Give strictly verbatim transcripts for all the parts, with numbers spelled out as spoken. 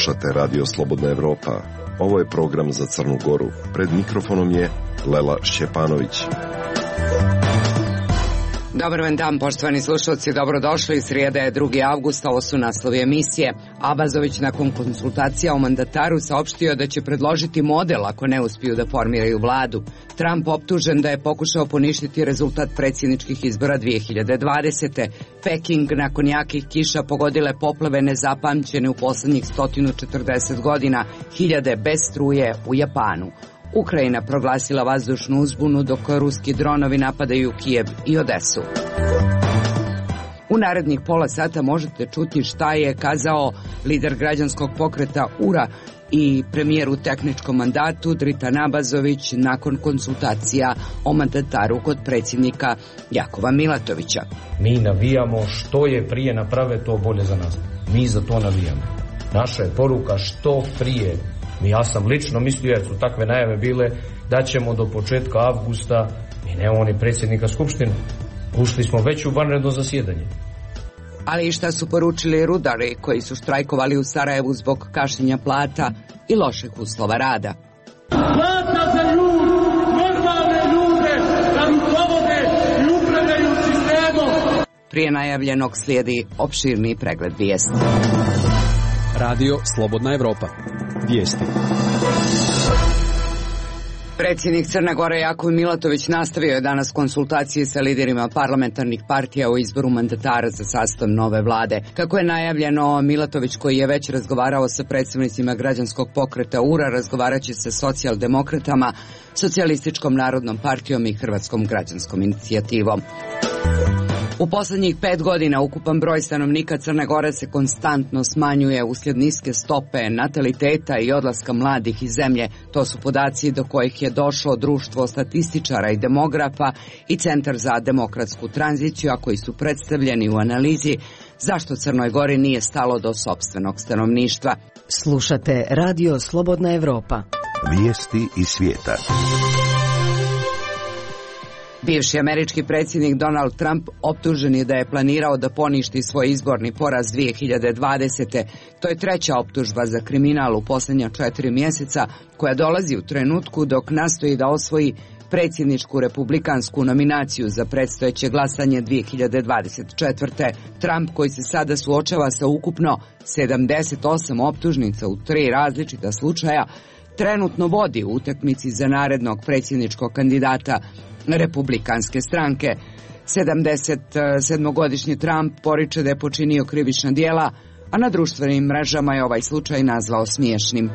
Slušate Radio Slobodna Evropa. Ovo je program za Crnu Goru. Pred mikrofonom je Lela Šćepanović. Dobar vam dan, poštovani slušalci, dobrodošli. Srijeda je drugi avgust, ovo su naslovi emisije. Abazović nakon konsultacija o mandataru saopštio da će predložiti model ako ne uspiju da formiraju vladu. Trump optužen da je pokušao poništiti rezultat predsjedničkih izbora dvije hiljade dvadesete. Peking nakon jakih kiša pogodile poplave nezapamćene u poslednjih sto četrdeset godina, hiljade bez struje u Japanu. Ukrajina proglasila vazdušnu uzbunu dok ruski dronovi napadaju Kijev i Odesu. U narednih pola sata možete čuti šta je kazao lider građanskog pokreta U R A i premijer u tehničkom mandatu Dritan Abazović nakon konsultacija o mandataru kod predsjednika Jakova Milatovića. Mi navijamo što je prije naprave, to bolje za nas. Mi za to navijamo. Naša je poruka što prije. Ja sam lično mislio, jer su takve najave bile, da ćemo do početka avgusta, mi nemamo ni predsjednika Skupštine, ušli smo već u vanredno zasjedanje. Ali i šta su poručili rudari koji su štrajkovali u Sarajevu zbog kašnjenja plata i loših uslova rada? Plata za ljud, normalne ljude, da rukovode i upravljaju sistemom. Prije najavljenog slijedi opširni pregled vijesti. Radio Slobodna Evropa. Vijesti. Predsjednik Crne Gore Jakov Milatović nastavio je danas konsultacije sa liderima parlamentarnih partija o izboru mandatara za sastav nove vlade. Kako je najavljeno, Milatović, koji je već razgovarao sa predstavnicima građanskog pokreta U R A, razgovarat će sa socijaldemokratama, Socijalističkom narodnom partijom i Hrvatskom građanskom inicijativom. U posljednjih pet godina ukupan broj stanovnika Crne Gore se konstantno smanjuje uslijed niske stope nataliteta i odlaska mladih iz zemlje. To su podaci do kojih je došlo Društvo statističara i demografa i Centar za demokratsku tranziciju, a koji su predstavljeni u analizi zašto Crnoj Gori nije stalo do sopstvenog stanovništva. Slušate Radio Slobodna Evropa. Vijesti iz svijeta. Bivši američki predsjednik Donald Trump optužen je da je planirao da poništi svoj izborni poraz dvije hiljade dvadesete. To je treća optužba za kriminal u posljednja četiri mjeseca, koja dolazi u trenutku dok nastoji da osvoji predsjedničku republikansku nominaciju za predstojeće glasanje dvije hiljade dvadeset četvrte. Trump, koji se sada suočava sa ukupno sedamdeset osam optužnica u tri različita slučaja, trenutno vodi u utakmici za narednog predsjedničkog kandidata republikanske stranke. sedamdeset sedmogodišnji Trump poriče da je počinio krivična djela, a na društvenim mrežama je ovaj slučaj nazvao smiješnim.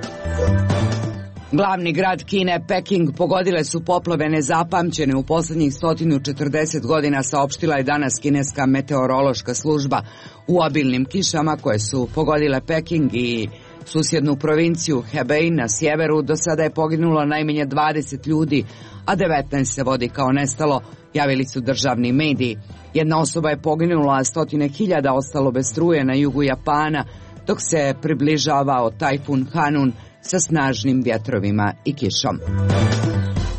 Glavni grad Kine, Peking, pogodile su poplave nezapamćene u posljednjih sto četrdeset godina, saopštila je danas kineska meteorološka služba. U obilnim kišama koje su pogodile Peking i susjednu provinciju Hebei na sjeveru do sada je poginulo najmanje dvadeset ljudi, a devetnaest se vodi kao nestalo, javili su državni mediji. Jedna osoba je poginula, a stotine hiljada ostalo bez struje na jugu Japana, dok se približavao tajfun Hanun sa snažnim vjetrovima i kišom.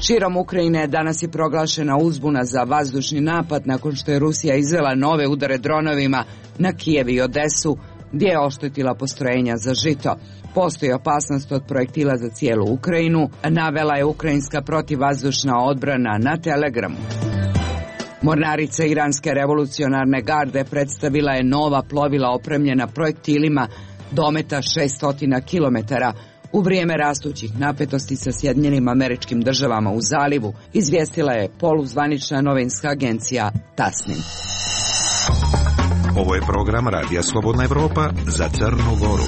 Širom Ukrajine danas je proglašena uzbuna za vazdušni napad nakon što je Rusija izvela nove udare dronovima na Kijev i Odesu, gdje je oštetila postrojenja za žito. Postoji opasnost od projektila za cijelu Ukrajinu, navela je ukrajinska protivvazdušna odbrana na Telegramu. Mornarica Iranske revolucionarne garde predstavila je nova plovila opremljena projektilima dometa šesto kilometara u vrijeme rastućih napetosti sa Sjedinjenim Američkim Državama u zalivu, izvijestila je poluzvanična novinska agencija Tasnim. Ovo je program Radija Slobodna Evropa za Crnu Goru.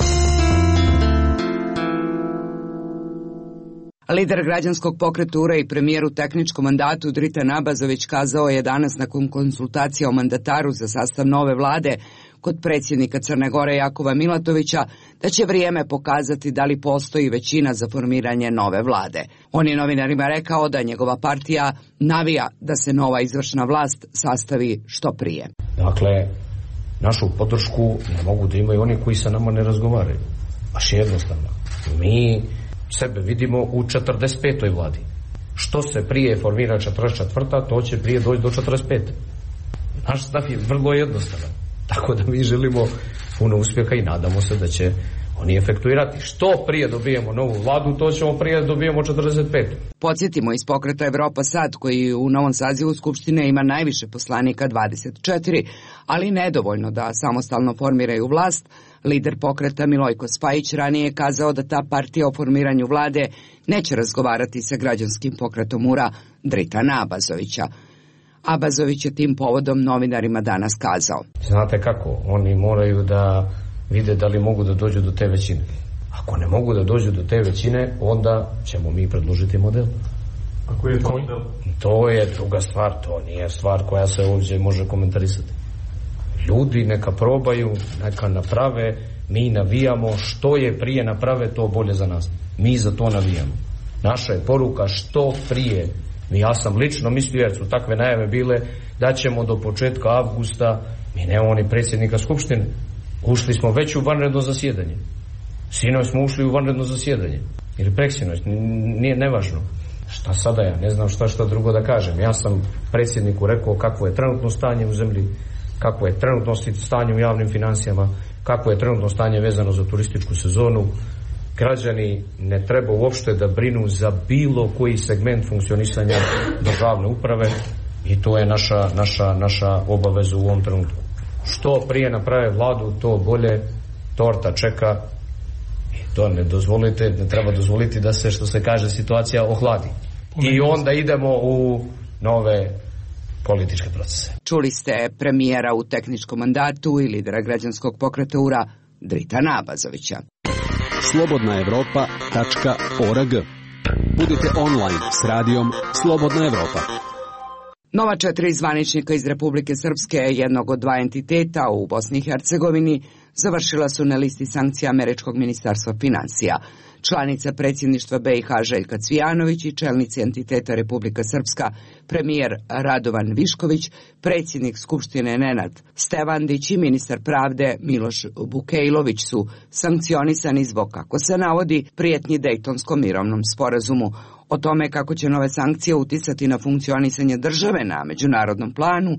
Lider građanskog pokreta U R A i premijer u tehničkom mandatu Dritan Abazović kazao je danas nakon konsultacija o mandataru za sastav nove vlade kod predsjednika Crne Gore Jakova Milatovića da će vrijeme pokazati da li postoji većina za formiranje nove vlade. On je novinarima rekao da njegova partija navija da se nova izvršna vlast sastavi što prije. Dakle, našu podršku ne mogu da imaju oni koji sa nama ne razgovaraju. Baš jednostavno. Mi sebe vidimo u četrdeset petoj vladi. Što se prije formira četrdeset četvrta, to će prije doći do četrdeset pete. Naš stav je vrlo jednostavan. Tako da mi želimo puno uspjeha i nadamo se da će oni efektuirati. Što prije dobijemo novu vladu, to ćemo prije dobijemo četrdeset pet. Podsjetimo, iz pokreta Evropa Sad, koji u novom sazivu Skupštine ima najviše poslanika, dvadeset četiri, ali nedovoljno da samostalno formiraju vlast, lider pokreta Milojko Spajić ranije je kazao da ta partija o formiranju vlade neće razgovarati sa građanskim pokretom U R A Dritana Abazovića. Abazović je tim povodom novinarima danas kazao: Znate kako, oni moraju da vide da li mogu da dođu do te većine. Ako ne mogu da dođu do te većine, onda ćemo mi predložiti model. A koji je to model? To je druga stvar, to nije stvar koja se ovdje može komentarisati. Ljudi neka probaju, neka naprave, mi navijamo, što je prije naprave, to bolje za nas. Mi za to navijamo. Naša je poruka što prije. Ja sam lično mislio, jer su takve najave bile, da ćemo do početka avgusta, mi nemamo ni predsjednika Skupštine, ušli smo već u vanredno zasjedanje. Sinoć smo ušli u vanredno zasjedanje. Ili preksinoć, nije nevažno. Šta sada ja, ne znam šta šta drugo da kažem. Ja sam predsjedniku rekao kakvo je trenutno stanje u zemlji, kakvo je trenutno stanje u javnim financijama, kakvo je trenutno stanje vezano za turističku sezonu. Građani ne treba uopšte da brinu za bilo koji segment funkcionisanja državne uprave i to je naša, naša, naša obaveza u ovom trenutku. Što prije naprave vladu, to bolje, torta čeka i to ne dozvolite, ne treba dozvoliti da se, što se kaže, situacija ohladi. I onda idemo u nove političke procese. Čuli ste premijera u tehničkom mandatu i lidera građanskog pokreta U R A Dritana Abazovića. slobodna evropa tačka org. Budite online s radijom Slobodna Evropa. Nova četiri zvaničnika iz Republike Srpske, jednog od dva entiteta u Bosni i Hercegovini, završila su na listi sankcija Američkog ministarstva financija. Članica predsjedništva B i H Željka Cvijanović i čelnici entiteta Republika Srpska, premijer Radovan Višković, predsjednik Skupštine Nenad Stevandić i ministar pravde Miloš Bukejlović su sankcionisani zbog, kako se navodi, prijetnji Dejtonskom mirovnom sporazumu. O tome kako će nove sankcije uticati na funkcionisanje države na međunarodnom planu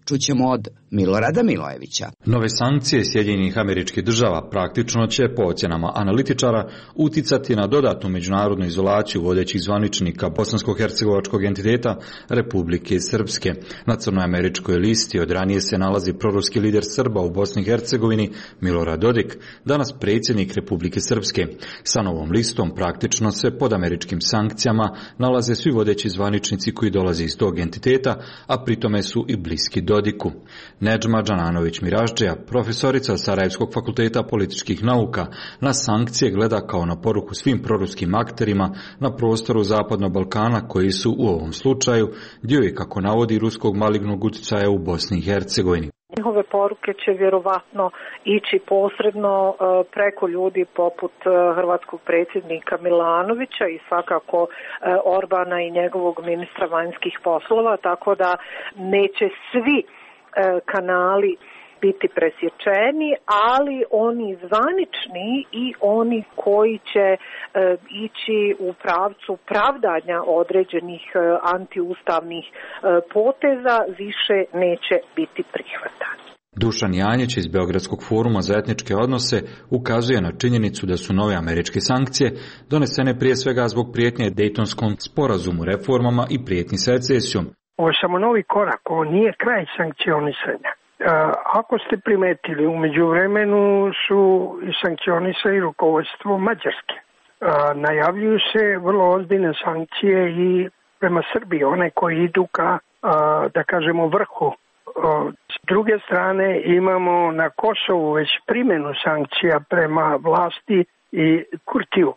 čućemo od Milorada Milojevića. Nove sankcije Sjedinjenih Američkih Država praktično će, po ocjenama analitičara, uticati na dodatnu međunarodnu izolaciju vodećih zvaničnika bosansko-hercegovačkog entiteta Republike Srpske. Na crnoameričkoj listi od ranije se nalazi proruski lider Srba u Bosni i Hercegovini Milorad Dodik, danas predsjednik Republike Srpske. Sa novom listom praktično se pod američkim sankcijama nalaze svi vodeći zvaničnici koji dolaze iz tog entiteta, a pritome su i bliski Dodiku. Nedžma Đananović-Miraždžija, profesorica Sarajevskog fakulteta političkih nauka, na sankcije gleda kao na poruku svim proruskim akterima na prostoru Zapadnog Balkana koji su u ovom slučaju dio i, kako navodi, ruskog malignog utjecaja u Bosni i Hercegovini. Njihove poruke će vjerovatno ići posredno preko ljudi poput hrvatskog predsjednika Milanovića i svakako Orbana i njegovog ministra vanjskih poslova, tako da neće svi kanali biti presječeni, ali oni zvanični i oni koji će e, ići u pravcu pravdanja određenih e, antiustavnih e, poteza više neće biti prihvatani. Dušan Janjić iz Beogradskog foruma za etničke odnose ukazuje na činjenicu da su nove američke sankcije donesene prije svega zbog prijetnje Dejtonskom sporazumu, reformama i prijetnji secesijom. Ovo je samo novi korak, ovo nije kraj sankcionisanja. Ako ste primetili, u međuvremenu su sankcionisali rukovodstvo Mađarske. Najavljuju se vrlo ozbiljne sankcije i prema Srbiji, one koji idu ka, da kažemo, vrhu. S druge strane imamo na Kosovu već primjenu sankcija prema vlasti i Kurtiju.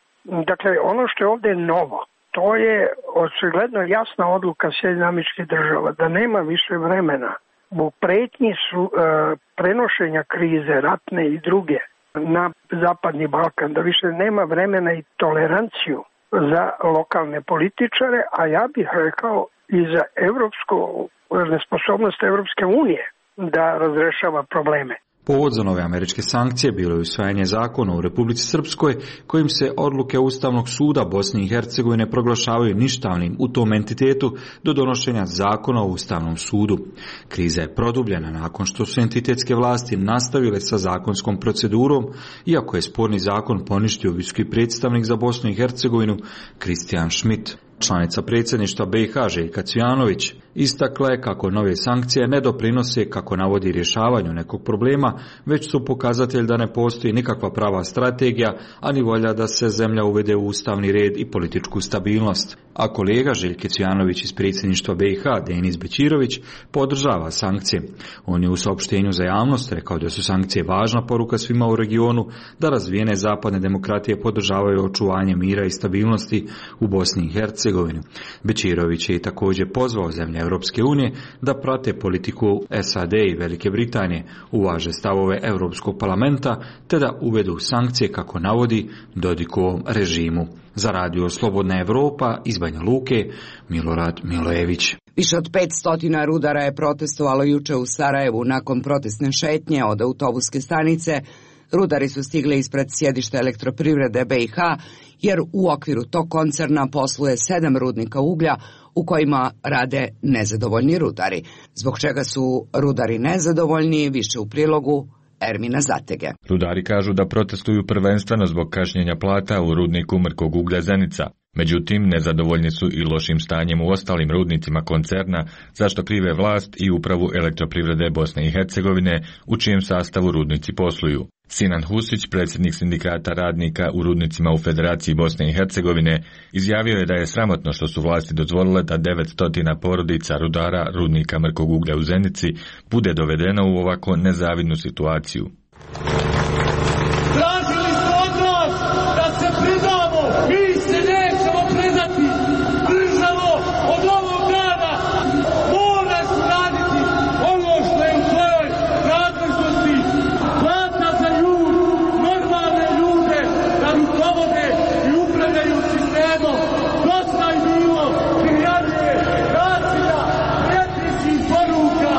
Dakle, ono što je ovdje novo, to je očigledno jasna odluka Sjedinjenih Američkih Država da nema više vremena zbog pretnji su e, prenošenja krize, ratne i druge, na Zapadni Balkan, da više nema vremena i toleranciju za lokalne političare, a ja bih rekao i za evropsku nesposobnost Evropske unije da razrešava probleme. Povod za nove američke sankcije bilo je usvajanje zakona u Republici Srpskoj kojim se odluke Ustavnog suda Bosne i Hercegovine proglašavaju ništavnim u tom entitetu do donošenja zakona o Ustavnom sudu. Kriza je produbljena nakon što su entitetske vlasti nastavile sa zakonskom procedurom, iako je sporni zakon poništio visoki predstavnik za Bosnu i Hercegovinu Kristijan Schmidt. Članica predsjedništva B i H Željka Cvijanović istakla je kako nove sankcije ne doprinose, kako navodi, rješavanju nekog problema, već su pokazatelj da ne postoji nikakva prava strategija, a ni volja da se zemlja uvede u ustavni red i političku stabilnost. A kolega Željke Cvijanović iz predsjedništva B i H Denis Bećirović podržava sankcije. On je u saopštenju za javnost rekao da su sankcije važna poruka svima u regionu, da razvijene zapadne demokratije podržavaju očuvanje mira i stabilnosti u Bosni i Hercegovini. Bećirović je također pozvao zemlje Europske unije da prate politiku S A D i Velike Britanije, uvaže stavove Europskog parlamenta te da uvedu sankcije, kako navodi, Dodikovom režimu. Za radio Slobodna Evropa iz Banja Luke, Milorad Milojević. Više od petsto rudara je protestovalo juče u Sarajevu nakon protestne šetnje od autobuske stanice. Rudari su stigli ispred sjedišta Elektroprivrede B i H jer u okviru tog koncerna posluje sedam rudnika uglja u kojima rade nezadovoljni rudari. Zbog čega su rudari nezadovoljni, više u prilogu Ermina Zatege. Rudari kažu da protestuju prvenstveno zbog kašnjenja plata u rudniku mrkog uglja Zenica. Međutim, nezadovoljni su i lošim stanjem u ostalim rudnicima koncerna, zašto krive vlast i upravu Elektroprivrede Bosne i Hercegovine, u čijem sastavu rudnici posluju. Sinan Husić, predsjednik sindikata radnika u rudnicima u Federaciji Bosne i Hercegovine, izjavio je da je sramotno što su vlasti dozvolile da devetsto porodica rudara rudnika mrkog uglja u Zenici bude dovedeno u ovako nezavidnu situaciju. Tražili su od nas da se pridamo, mi se nećemo predati. Državo, od ovog dana moraš raditi ono što je u svojoj nadležnosti. Plata za ljud, normalne ljude da rukovode i upravljaju sistemom. Dosta je bilo krijanije, nasilja, represivnih poruka.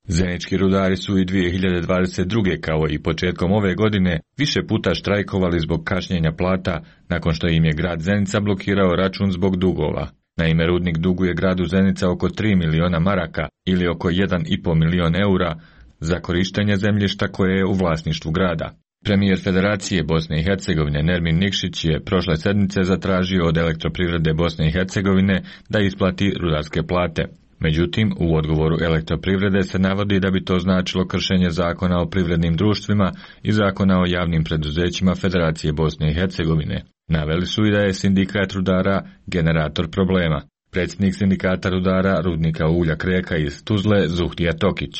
Zenički rudari su i dvije hiljade dvadeset druge kao i početkom ove godine više puta štrajkovali zbog kašnjenja plata nakon što im je grad Zenica blokirao račun zbog dugova. Naime, rudnik duguje gradu Zenica oko tri miliona maraka ili oko jedan i pol milion eura za korištenje zemljišta koje je u vlasništvu grada. Premijer Federacije Bosne i Hercegovine Nermin Nikšić je prošle sedmice zatražio od Elektroprivrede Bosne i Hercegovine da isplati rudarske plate. Međutim, u odgovoru Elektroprivrede se navodi da bi to značilo kršenje zakona o privrednim društvima i zakona o javnim preduzećima Federacije Bosne i Hercegovine. Naveli su i da je sindikat rudara generator problema. Predsjednik sindikata rudara rudnika uglja Kreka iz Tuzle Zuhtija Tokić.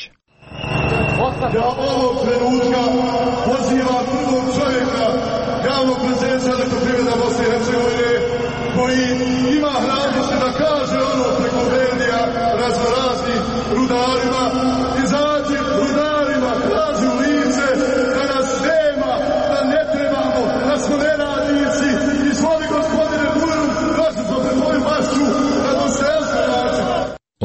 Ja ovog trenutka pozivam prvog čovjeka javnog predsjednika Elektroprivrede Bosne i Hercegovine koji ima hrabrosti da kaže ono preko medija raznoraznim rudarima, izađi rudarima, kaži u lice da nas nema, da ne trebamo, da smo neradnici, izvoli gospodine Bujeru, došli smo pred moju mašću, da dostojanstvo način.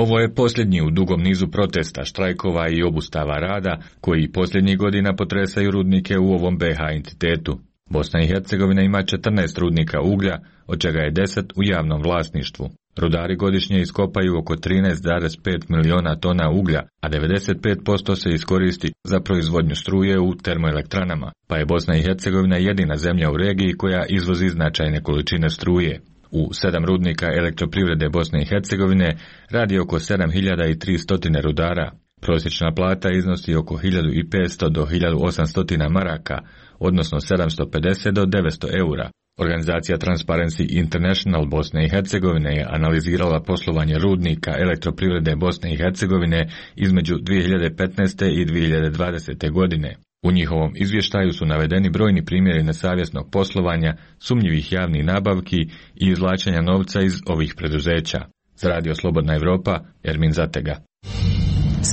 Ovo je posljednji u dugom nizu protesta, štrajkova i obustava rada koji posljednjih godina potresaju rudnike u ovom B H entitetu. Bosna i Hercegovina ima četrnaest rudnika uglja, od čega je deset u javnom vlasništvu. Rudari godišnje iskopaju oko trinaest zarez pet miliona tona uglja, a devedeset pet posto se iskoristi za proizvodnju struje u termoelektranama, pa je Bosna i Hercegovina jedina zemlja u regiji koja izvozi značajne količine struje. U sedam rudnika Elektroprivrede Bosne i Hercegovine radi oko sedam hiljada tristo rudara. Prosječna plata iznosi oko hiljadu petsto do hiljadu osamsto maraka, odnosno sedamsto pedeset do devetsto eura. Organizacija Transparency International Bosne i Hercegovine je analizirala poslovanje rudnika Elektroprivrede Bosne i Hercegovine između dvije hiljade petnaeste i dvije hiljade dvadesete godine. U njihovom izvještaju su navedeni brojni primjeri nesavjesnog poslovanja, sumnjivih javnih nabavki i izvlačenja novca iz ovih preduzeća. Za radio Slobodna Evropa, Ermin Zatega.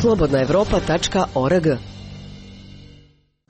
slobodna evropa tačka org.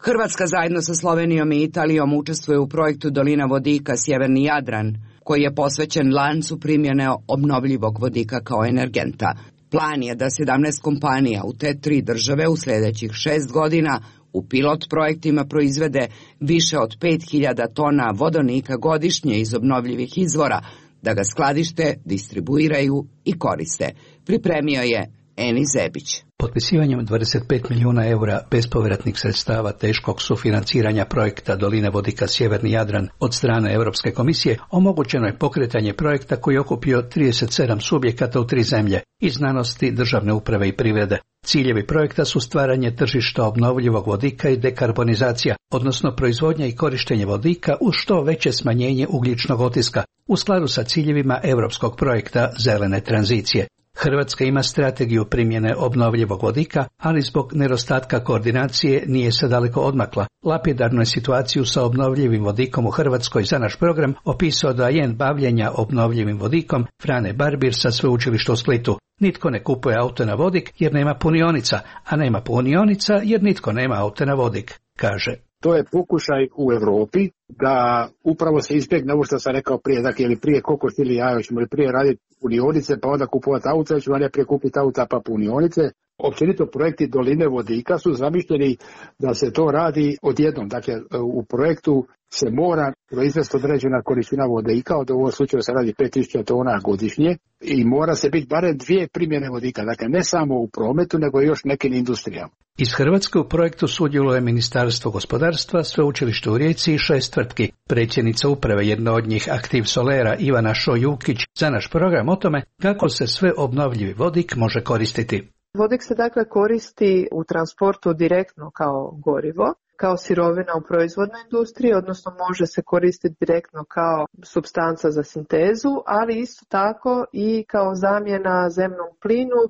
Hrvatska zajedno sa Slovenijom i Italijom učestvuje u projektu Dolina vodika Sjeverni Jadran, koji je posvećen lancu primjene obnovljivog vodika kao energenta. Plan je da sedamnaest kompanija u te tri države u sljedećih šest godina u pilot projektima proizvede više od pet hiljada tona vodonika godišnje iz obnovljivih izvora, da ga skladište, distribuiraju i koriste. Pripremio je Enis Zebić. Potpisivanjem dvadeset pet milijuna eura bespovratnih sredstava teškog sufinanciranja projekta Doline vodika Sjeverni Jadran od strane Europske komisije omogućeno je pokretanje projekta koji je okupio trideset sedam subjekata u tri zemlje i znanosti, državne uprave i privrede. Ciljevi projekta su stvaranje tržišta obnovljivog vodika i dekarbonizacija, odnosno proizvodnja i korištenje vodika uz što veće smanjenje ugljičnog otiska u skladu sa ciljevima europskog projekta zelene tranzicije. Hrvatska ima strategiju primjene obnovljivog vodika, ali zbog nedostatka koordinacije nije se daleko odmakla. Lapidarno je situaciju sa obnovljivim vodikom u Hrvatskoj za naš program opisao doajen bavljenja obnovljivim vodikom Frane Barbir sa sveučilišta u Splitu. Nitko ne kupuje auto na vodik jer nema punionica, a nema punionica jer nitko nema auto na vodik, kaže. To je pokušaj u Europi da upravo se izbjegne ovo što sam rekao prije, dakle ili prije kokos ili jajo, ćemo li prije raditi punionice pa onda kupovati auta, ćemo li prije kupiti auta pa punionice. Općenito projekti Doline vodika su zamišljeni da se to radi odjednom, dakle u projektu se mora proizvesti određena količina vodika, od ovog slučaju se radi pet tisuća tona godišnje i mora se biti barem dvije primjene vodika, dakle ne samo u prometu nego i još nekim industrijama. Iz Hrvatske u projektu sudjeluje Ministarstvo gospodarstva, Sveučilište u Rijeci i šest tvrtki. Predsjednica uprave jedne od njih Aktiv Solera Ivana Šo-Jukić za naš program o tome kako se sve obnovljivi vodik može koristiti. Vodik se dakle koristi u transportu direktno kao gorivo, kao sirovina u proizvodnoj industriji, odnosno može se koristiti direktno kao supstanca za sintezu, ali isto tako i kao zamjena zemnom plinu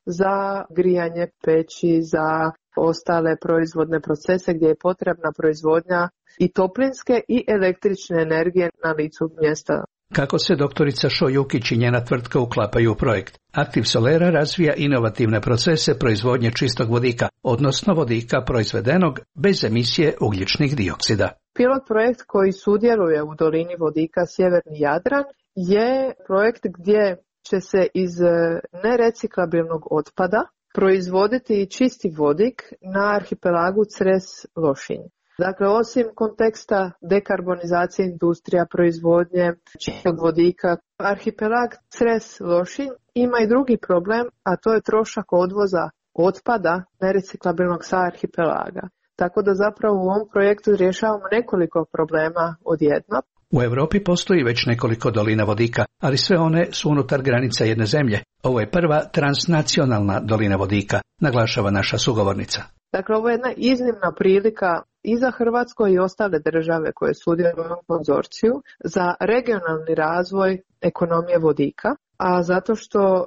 za grijanje peći, za ostale proizvodne procese gdje je potrebna proizvodnja i toplinske i električne energije na licu mjesta. Kako se doktorica Šo-Jukić i njena tvrtka uklapaju u projekt? Aktiv Solera razvija inovativne procese proizvodnje čistog vodika, odnosno vodika proizvedenog bez emisije ugljičnih dioksida. Pilot projekt koji sudjeluje u Dolini vodika Sjeverni Jadran je projekt gdje će se iz nereciklabilnog otpada proizvoditi čisti vodik na arhipelagu Cres-Lošinj. Dakle, osim konteksta dekarbonizacije industrija, proizvodnje čistog vodika, arhipelag Cres-Lošinj ima i drugi problem, a to je trošak odvoza otpada nereciklabilnog sa arhipelaga. Tako da zapravo u ovom projektu rješavamo nekoliko problema odjednom. U Europi postoji već nekoliko dolina vodika, ali sve one su unutar granica jedne zemlje. Ovo je prva transnacionalna dolina vodika, naglašava naša sugovornica. Dakle, ovo je jedna iznimna prilika i za Hrvatsku i ostale države koje sudjeluju u ovom konzorciju za regionalni razvoj ekonomije vodika, a zato što uh,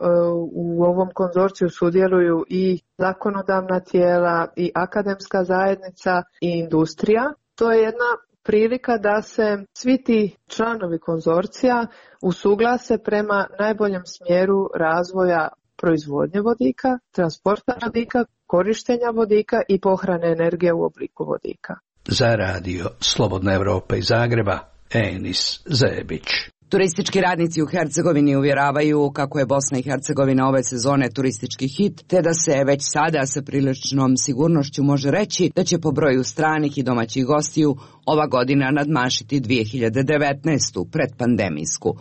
u ovom konzorciju sudjeluju i zakonodavna tijela i akademska zajednica i industrija. To je jedna prilika da se svi ti članovi konzorcija usuglase prema najboljem smjeru razvoja proizvodnje vodika, transporta vodika, korištenja vodika i pohrane energije u obliku vodika. Za radio Slobodna Evropa iz Zagreba, Enis Zebić. Turistički radnici u Hercegovini uvjeravaju kako je Bosna i Hercegovina ove sezone turistički hit, te da se već sada sa priličnom sigurnošću može reći da će po broju stranih i domaćih gostiju ova godina nadmašiti dvije hiljade devetnaestu predpandemijsku.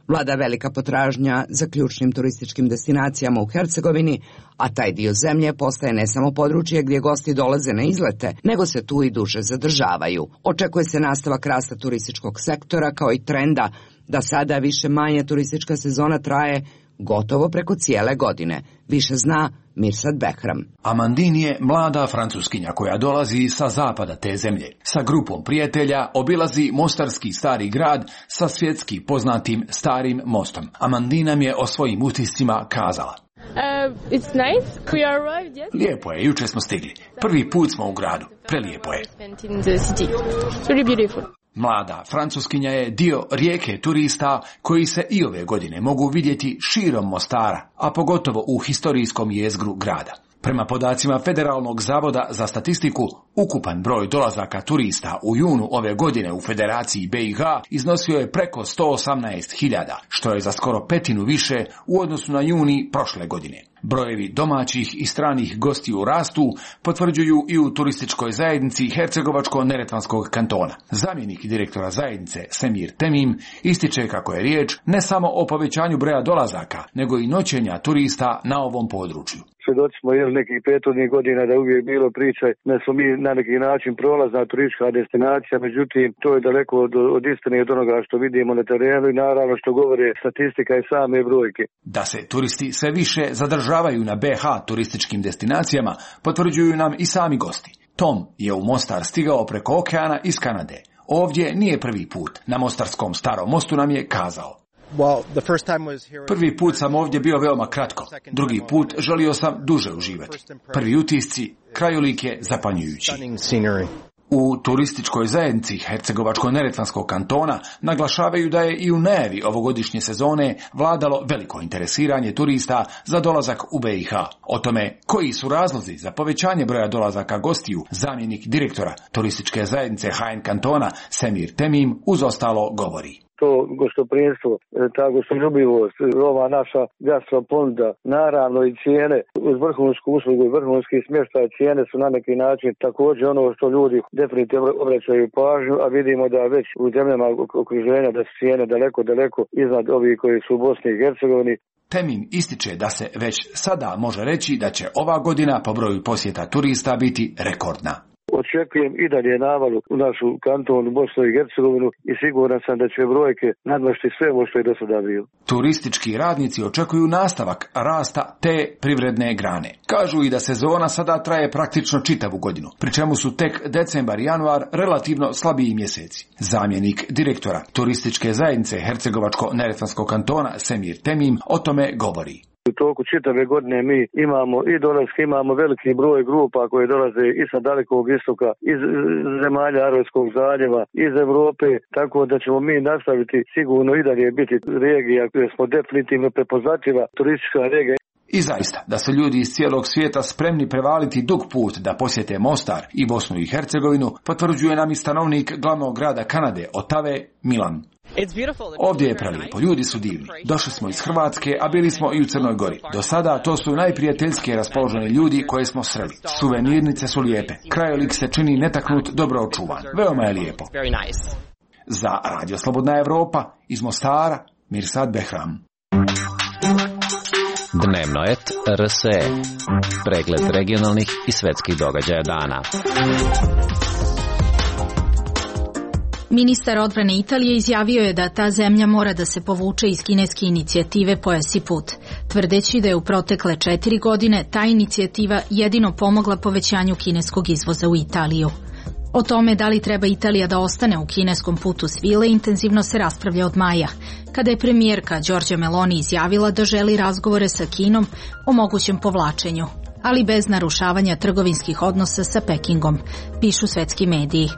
Vlada velika potražnja za ključnim turističkim destinacijama u Hercegovini, a taj dio zemlje postaje ne samo područje gdje gosti dolaze na izlete, nego se tu i duže zadržavaju. Očekuje se nastavak rasta turističkog sektora kao i trenda da sada više manje turistička sezona traje gotovo preko cijele godine. Više zna Mirsad Behram. Amandine je mlada Francuskinja koja dolazi sa zapada te zemlje. Sa grupom prijatelja obilazi mostarski stari grad sa svjetski poznatim starim mostom. Amandina mi je o svojim utiscima kazala. Uh, it's nice. We arrived, yes? Lijepo je, jučer smo stigli. Prvi put smo u gradu. Prelijepo je. Really beautiful. Mlada Francuskinja je dio rijeke turista koji se i ove godine mogu vidjeti širom Mostara, a pogotovo u historijskom jezgru grada. Prema podacima Federalnog zavoda za statistiku, Ukupan broj dolazaka turista u junu ove godine u Federaciji B i H iznosio je preko sto osamnaest hiljada, što je za skoro petinu više u odnosu na juni prošle godine. Brojevi domaćih i stranih gostiju rastu, potvrđuju i u turističkoj zajednici Hercegovačko-neretvanskog kantona. Zamjenik direktora zajednice Semir Temim ističe kako je riječ ne samo o povećanju broja dolazaka, nego i noćenja turista na ovom području. Svjedoci smo jer nekih prethodnih godina da uvijek bilo priča da smo mi na neki način prolazna turistička destinacija, međutim to je daleko od, od istine od onoga što vidimo na terenu i naravno što govore statistika i same brojke. Da se turisti sve više zadržavaju na B H turističkim destinacijama potvrđuju nam i sami gosti. Tom je u Mostar stigao preko okeana iz Kanade. Ovdje nije prvi put. Na mostarskom starom mostu nam je kazao: Prvi put sam ovdje bio veoma kratko, drugi put želio sam duže uživati. Prvi utisci, krajolik je zapanjujući. U turističkoj zajednici Hercegovačko-neretvanskog kantona naglašavaju da je i u najavi ovogodišnje sezone vladalo veliko interesiranje turista za dolazak u B i H. O tome koji su razlozi za povećanje broja dolazaka gostiju, zamjenik direktora turističke zajednice H N kantona Semir Temim uz ostalo govori. To gostoprimstvo, ta gostoljubivost, ova naša gastroponuda, naravno i cijene uz vrhunsku uslugu i vrhunski smještaj, cijene su na neki način također ono što ljudi definitivno obraćaju pažnju, a vidimo da već u zemljama okruženja da su cijene daleko, daleko iznad ovih koji su u Bosni i Hercegovini. Temim ističe da se već sada može reći da će ova godina po broju posjeta turista biti rekordna. Očekujem i dalje navalu u našu kantonu Bosnu i Hercegovinu i siguran sam da će brojke nadmašiti sve ovo što je do sada bilo. Turistički radnici očekuju nastavak rasta te privredne grane. Kažu i da sezona sada traje praktično čitavu godinu, pri čemu su tek decembar i januar relativno slabiji mjeseci. Zamjenik direktora turističke zajednice Hercegovačko-neretvanskog kantona Semir Temim o tome govori. U toku čitave godine mi imamo i dolaske, imamo veliki broj grupa koje dolaze i sa dalekog istoka, iz zemalja Aralskog zaljeva, iz Europe, tako da ćemo mi nastaviti sigurno i dalje biti regija koja smo definitivno prepoznatljiva turistička regija. I zaista, da su ljudi iz cijelog svijeta spremni prevaliti dug put da posjete Mostar i Bosnu i Hercegovinu, potvrđuje nam i stanovnik glavnog grada Kanade, Otave, Milan. Ovdje je prelijepo, ljudi su divni. Došli smo iz Hrvatske, a bili smo i u Crnoj Gori. Do sada to su najprijateljski raspoloženi ljudi koje smo sreli. Suvenirnice su lijepe. Krajolik se čini netaknut, dobro očuvan. Veoma je lijepo. Za Radio Slobodna Evropa iz Mostara, Mirsad Behram. Dnevno et R S E. Pregled regionalnih i svetskih događaja dana. Ministar odbrane Italije izjavio je da ta zemlja mora da se povuče iz kineske inicijative Pojas i put, tvrdeći da je u protekle četiri godine ta inicijativa jedino pomogla povećanju kineskog izvoza u Italiju. O tome da li treba Italija da ostane u kineskom putu svile intenzivno se raspravlja od maja, kada je premijerka Giorgia Meloni izjavila da želi razgovore sa Kinom o mogućem povlačenju, ali bez narušavanja trgovinskih odnosa sa Pekingom, pišu svetski mediji.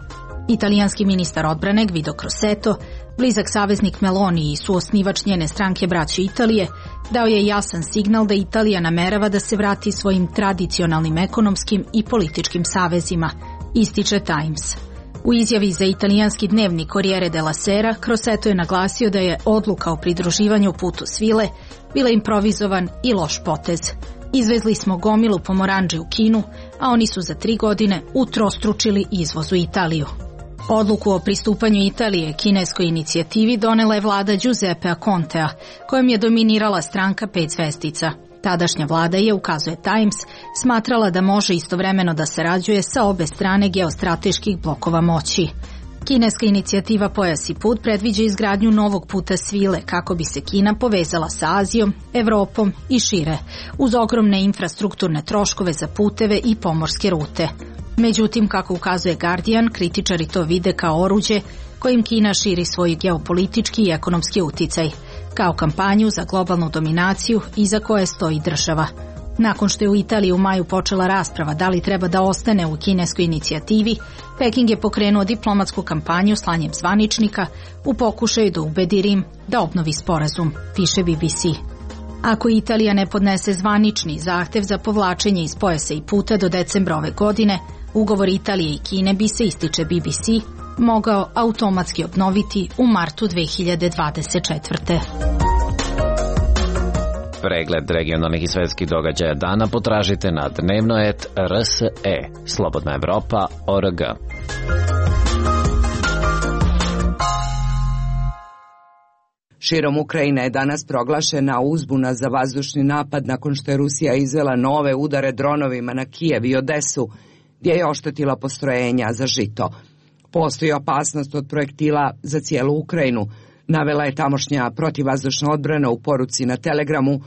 Italijanski ministar odbrane Guido Crosetto, blizak saveznik Meloni i suosnivač njene stranke Braće Italije, dao je jasan signal da Italija namerava da se vrati svojim tradicionalnim ekonomskim i političkim savezima, ističe Times. U izjavi za italijanski dnevnik Corriere della Sera, Crosetto je naglasio da je odluka o pridruživanju putu svile bila improvizovan i loš potez. Izvezli smo gomilu pomoranđe u Kinu, a oni su za tri godine utrostručili izvoz u Italiju. Odluku o pristupanju Italije kineskoj inicijativi donela je vlada Giuseppea Contea, kojom je dominirala stranka pet zvezdica. Tadašnja vlada je, ukazuje Times, smatrala da može istovremeno da sarađuje sa obe strane geostrateških blokova moći. Kineska inicijativa Pojas i put predviđa izgradnju novog puta svile kako bi se Kina povezala sa Azijom, Evropom i šire, uz ogromne infrastrukturne troškove za puteve i pomorske rute. Međutim, kako ukazuje Guardian, kritičari to vide kao oruđe kojim Kina širi svoj geopolitički i ekonomski uticaj, kao kampanju za globalnu dominaciju iza koje stoji država. Nakon što je u Italiji u maju počela rasprava da li treba da ostane u kineskoj inicijativi, Peking je pokrenuo diplomatsku kampanju slanjem zvaničnika u pokušaju da ubedi Rim da obnovi sporazum, piše B B C. Ako Italija ne podnese zvanični zahtev za povlačenje iz Pojasa i puta do decembra ove godine, ugovor Italije i Kine bi se, ističe B B C, mogao automatski obnoviti u martu dve hiljade dvadeset četvrte. Pregled regionalnih i svetskih događaja dana potražite na dnevnoet R S E, Slobodna Evropa, O R G. Širom Ukrajine je danas proglašena uzbuna za vazdušni napad nakon što je Rusija izvela nove udare dronovima na Kijev i Odesu, gdje je oštetila postrojenja za žito. Postoji opasnost od projektila za cijelu Ukrajinu, navela je tamošnja protivvazdušna odbrana u poruci na Telegramu,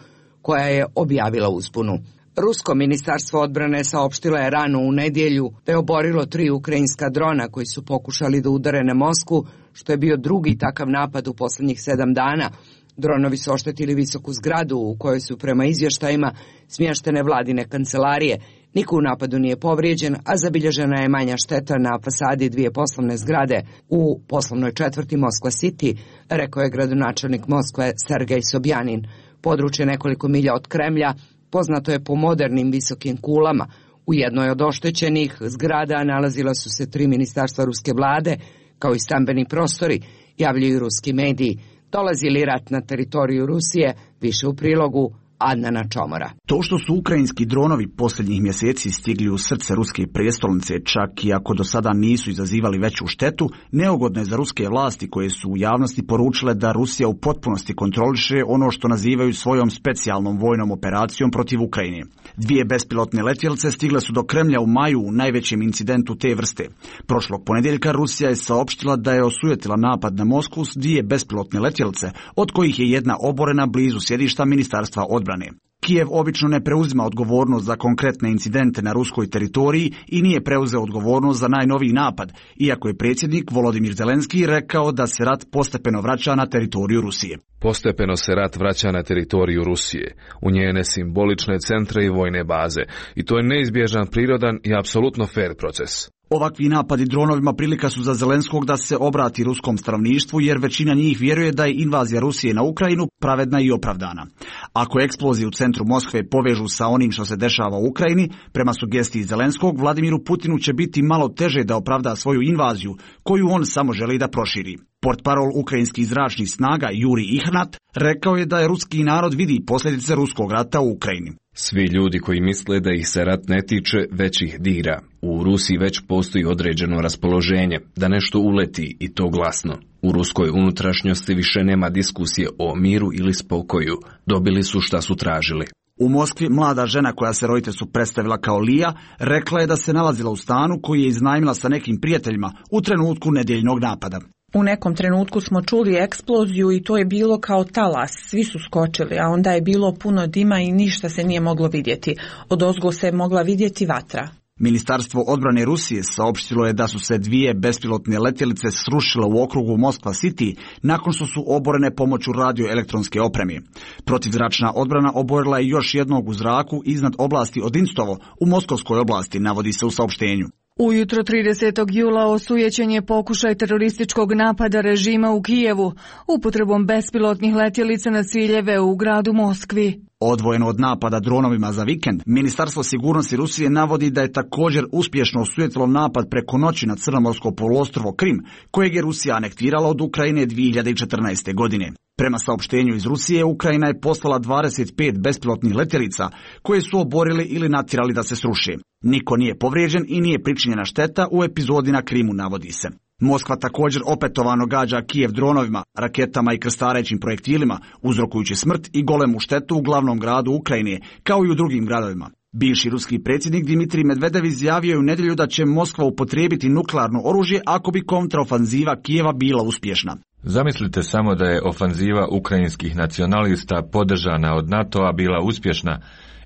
koja je objavila uzbunu. Rusko ministarstvo odbrane saopštilo je rano u nedjelju da je oborilo tri ukrajinska drona koji su pokušali da udare na Moskvu, što je bio drugi takav napad u posljednjih sedam dana. Dronovi su oštetili visoku zgradu u kojoj su prema izvještajima smještene vladine kancelarije. Niko u napadu nije povrijeđen, a zabilježena je manja šteta na fasadi dvije poslovne zgrade u poslovnoj četvrti Moskva City, rekao je gradonačelnik Moskve Sergej Sobjanin. Područje nekoliko milja od Kremlja poznato je po modernim visokim kulama. U jednoj od oštećenih zgrada nalazila su se tri ministarstva ruske vlade, kao i stambeni prostori, javljaju ruski mediji. Dolazi li rat na teritoriju Rusije, više u prilogu Adnana Čomora. To što su ukrajinski dronovi posljednjih mjeseci stigli u srce ruske prijestolnice, čak i ako do sada nisu izazivali veću štetu, neugodno je za ruske vlasti koje su u javnosti poručile da Rusija u potpunosti kontroliše ono što nazivaju svojom specijalnom vojnom operacijom protiv Ukrajine. Dvije bespilotne letjelice stigle su do Kremlja u maju u najvećem incidentu te vrste. Prošlog ponedjeljka Rusija je saopštila da je osujetila napad na Moskvu s dvije bespilotne letjelice, od kojih je jedna oborena blizu sjedišta Ministarstva odbrane. Kijev obično ne preuzima odgovornost za konkretne incidente na ruskoj teritoriji i nije preuzeo odgovornost za najnoviji napad, iako je predsjednik Volodimir Zelenski rekao da se rat postepeno vraća na teritoriju Rusije. Postepeno se rat vraća na teritoriju Rusije, u njene simbolične centre i vojne baze, i to je neizbježan, prirodan i apsolutno fair proces. Ovakvi napadi dronovima prilika su za Zelenskog da se obrati ruskom stanovništvu, jer većina njih vjeruje da je invazija Rusije na Ukrajinu pravedna i opravdana. Ako eksplozije u centru Moskve povežu sa onim što se dešava u Ukrajini, prema sugestiji Zelenskog, Vladimiru Putinu će biti malo teže da opravda svoju invaziju, koju on samo želi da proširi. Portparol ukrajinskih zračnih snaga Juri Ihnat rekao je da je ruski narod vidi posljedice ruskog rata u Ukrajini. Svi ljudi koji misle da ih se rat ne tiče, već ih dira. U Rusiji već postoji određeno raspoloženje da nešto uleti, i to glasno. U ruskoj unutrašnjosti više nema diskusije o miru ili spokoju. Dobili su šta su tražili. U Moskvi mlada žena koja se roditeljstvu predstavila kao Lija rekla je da se nalazila u stanu koji je iznajmila sa nekim prijateljima u trenutku nedjeljnog napada. U nekom trenutku smo čuli eksploziju i to je bilo kao talas, svi su skočili, a onda je bilo puno dima i ništa se nije moglo vidjeti. Odozgo se mogla vidjeti vatra. Ministarstvo odbrane Rusije saopštilo je da su se dvije bespilotne letjelice srušile u okrugu Moskva City nakon što su oborene pomoću radioelektronske opreme. Protivzračna odbrana oborila je još jednog u zraku iznad oblasti Odinstovo u Moskovskoj oblasti, navodi se u saopštenju. Ujutro tridesetog jula osujećen je pokušaj terorističkog napada režima u Kijevu upotrebom bespilotnih letjelica na ciljeve u gradu Moskvi. Odvojeno od napada dronovima za vikend, Ministarstvo sigurnosti Rusije navodi da je također uspješno osujetilo napad preko noći na Crnomorsko poluostrvo Krim, kojeg je Rusija anektirala od Ukrajine dvije hiljade četrnaeste. godine. Prema saopštenju iz Rusije, Ukrajina je poslala dvadeset pet bespilotnih letjelica koje su oborili ili natjerali da se sruše. Niko nije povrijeđen i nije pričinjena šteta u epizodi na Krimu, navodi se. Moskva također opetovano gađa Kijev dronovima, raketama i krstarećim projektilima, uzrokujući smrt i golemu štetu u glavnom gradu Ukrajine, kao i u drugim gradovima. Bivši ruski predsjednik Dmitrij Medvedev izjavio je u nedjelju da će Moskva upotrijebiti nuklearno oružje ako bi kontraofanziva Kijeva bila uspješna. Zamislite samo da je ofanziva ukrajinskih nacionalista podržana od NATO-a bila uspješna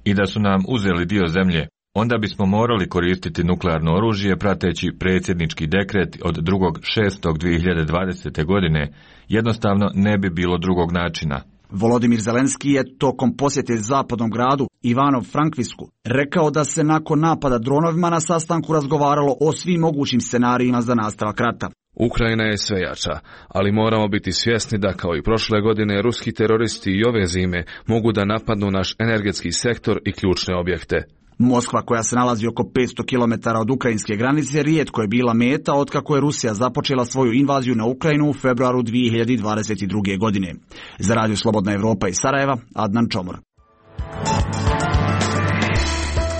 i da su nam uzeli dio zemlje. Onda bismo morali koristiti nuklearno oružje prateći predsjednički dekret od drugog šestog dvije hiljade dvadesete. godine. Jednostavno ne bi bilo drugog načina. Volodimir Zelenski je tokom posjete zapadnom gradu Ivano-Frankivsku rekao da se nakon napada dronovima na sastanku razgovaralo o svim mogućim scenarijima za nastavak rata. Ukrajina je sve jača, ali moramo biti svjesni da kao i prošle godine ruski teroristi i ove zime mogu da napadnu naš energetski sektor i ključne objekte. Moskva, koja se nalazi oko petsto kilometara od ukrajinske granice, rijetko je bila meta otkako je Rusija započela svoju invaziju na Ukrajinu u februaru dvije hiljade dvadeset druge. godine. Za Radio Slobodna Evropa iz Sarajeva, Adnan Čomor.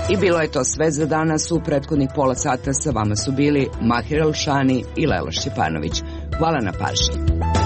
I bilo je to sve za danas. U prethodnih pola sata sa vama su bili Mahir Elšani i Lelo Šćepanović. Hvala na pažnji.